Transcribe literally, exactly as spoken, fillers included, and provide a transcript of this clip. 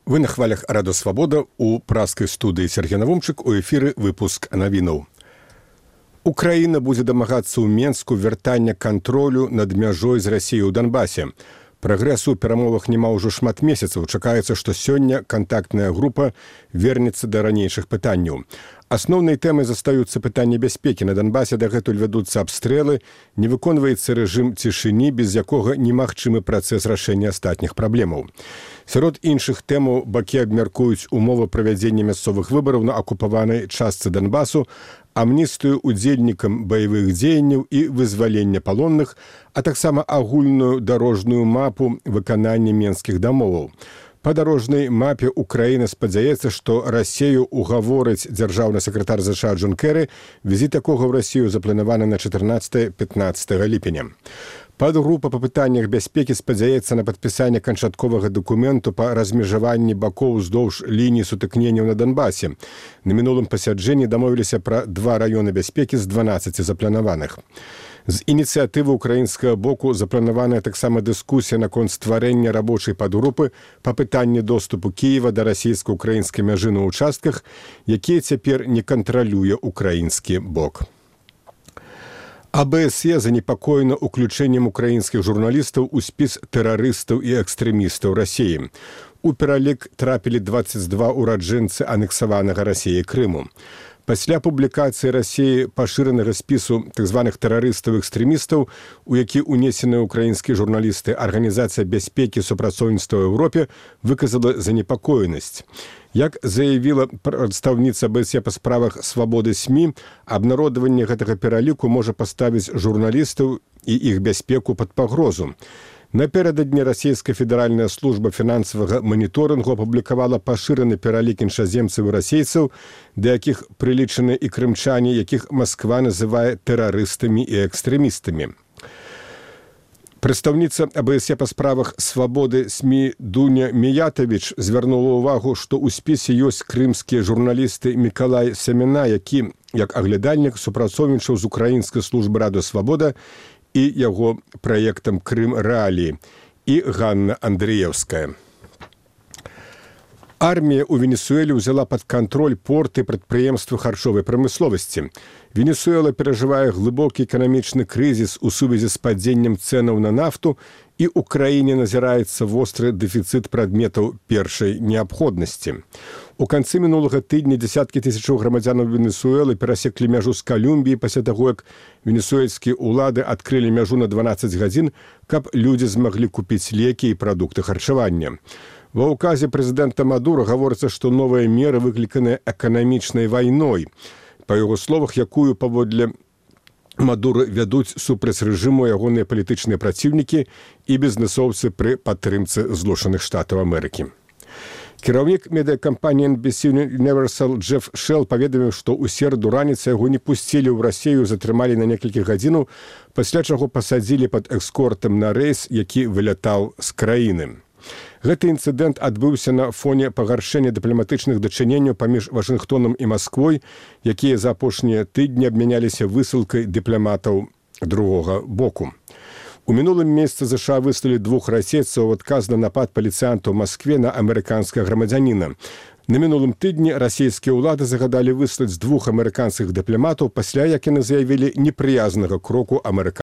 Вы на хвалях Радо Свабода у праскай студыі Сергей Навумчык, у эфіры выпуск навінаў. Украіна будзе дамагацца ў Менску вяртання кантролю над мяжой з Расіяй у Донбасе. Прагрэсу ў перамовах няма ўжо шмат месяцаў. Чакаецца, што сёння кантактная група вернецца да ранейшых пытанняў. Асноўнай тэмай застаюцца пытанні бяспекі. На Донбасе дагэтуль вядуцца абстрэлы, не выконваецца рэжым цішыні, без якога немагчымы працэс рашэння астатніх праблемаў. Сярод іншых тэмаў бакі абмяркуюць умовы правядзення мясцовых выбараў на акупаванай частцы Донбасу, амністыю удзельнікам баявых дзеянняў і вызвалення палонных, а таксама агульную дарожную мапу выканання менскіх дамоваў. Па дарожнай мапе Украіна спадзяецца, што Расею угаворыць дзяржаўны сакратар ЗША Джон Кэры, візіт якога ў Расію запланаваны на чатырнаццатае-пятнаццатае ліпеня. Падгрупа па пытаннях бяспекі спадзяецца на падпісанне канчатковага дакументу па размежаванні бакоў уздоўж лініі сутыкненняў на Донбасе. На мінулым пасяджэнні дамовіліся пра два раёны бяспекі з дванаццаці запланаваных. З ініцыятывы украінскага боку запланаваная таксама дыскусія наконт стварэння рабочай падгрупы па пытанні доступу Кіева да расійска-украінскай мяжы на ўчастках, якія цяпер не кантралюе украінскі бок. АБСЕ занепакоена ўключэннем украінскіх журналістаў у спіс тэрарыстаў і экстрэмістаў Расіі. У пералік трапілі дваццаць два ураджэнцы анексаванага Расіяй Крыму. Пасля публікацыі Расіі пашыранага спісу так званых тэрарыстаў-экстрэмістаў, у які ўнесеныя ўкраінскія журналісты, Арганізацыя бяспекі і супрацоўніцтва ў Еўропе выказала занепакоенасць. Як заявіла прадстаўніца АБСЕ па справах свабоды СМІ, абнародаванне гэтага пераліку можа паставіць журналістаў і іх бяспеку пад пагрозу. Напярэдадні расійская федэральная служба фінансавага маніторынгу апублікавала пашыраны пералік іншаземцаў і расейцаў, да якіх прылічаны і крымчане, якіх Масква называе тэрарыстамі і экстрэмістамі. Прадстаўніца АБСЕ па справах свабоды СМІ Дуня Міятавіч звярнула ўвагу, што ў спісе ёсць крымскія журналісты Мікалай Семена, які, як аглядальнік, супрацоўнічаў з украінскай службы Радо Свабода і яго праектам «Крым Рэаліі», і Ганна Андрыеўская. Армія ў Венесуэле ўзяла пад кантроль порты і прадпрыемствы харчовай прамысловасці. Венесуэла перажывае глыбокі эканамічны крызіс у сувязі з падзеннем цэнаў на нафту, і ў краіне назіраецца востры дэфіцыт прадметаў першай неабходнасці. У канцы мінулага тыдня дзесяткі тысячаў грамадзянаў Венесуэлы перасеклі мяжу з Калумбіі пасля таго, як венесуэльскія ўлады адкрылі мяжу на дванаццаць гадзін, каб людзі змаглі купіць лекі і прадукты харчавання. Ва ўказе прэзідэнта Мадура гаворыцца, што новыя меры выкліканыя эканамічнай вайной, па яго словах, якую паводле Мадура вядуць супраць рэжыму ягоныя палітычныя праціўнікі і бізнэсоўцы пры падтрымцы Злучаных Штатаў Амерыкі. Кіраўнік медыякампаніі эн би сі Universal Джеф Шелл паведаміў, што ў сераду раніцы яго не пусцілі ў Расію, затрымалі на некалькі гадзінаў, пасля чаго пасадзілі пад эскортам на рэйс, які вылятаў з краіны. Гэты інцыдэнт адбыўся на фоне пагаршэння дыпламатычных дачыненняў паміж Вашынгтонам і Масквой, якія за апошнія тыдні абмяняліся высылкай дыпламатаў другога боку. У мінулым месяцы ЗША выслалі двух расейцаў у адказ на напад паліцыянтаў у Маскве на амерыканскага грамадзяніна. На мінулым тыдні расійскія ўлады загадалі выслаць двух амерыканскіх дыпламатаў пасля, як яны заявілі, непрыязнага кроку амерыканскага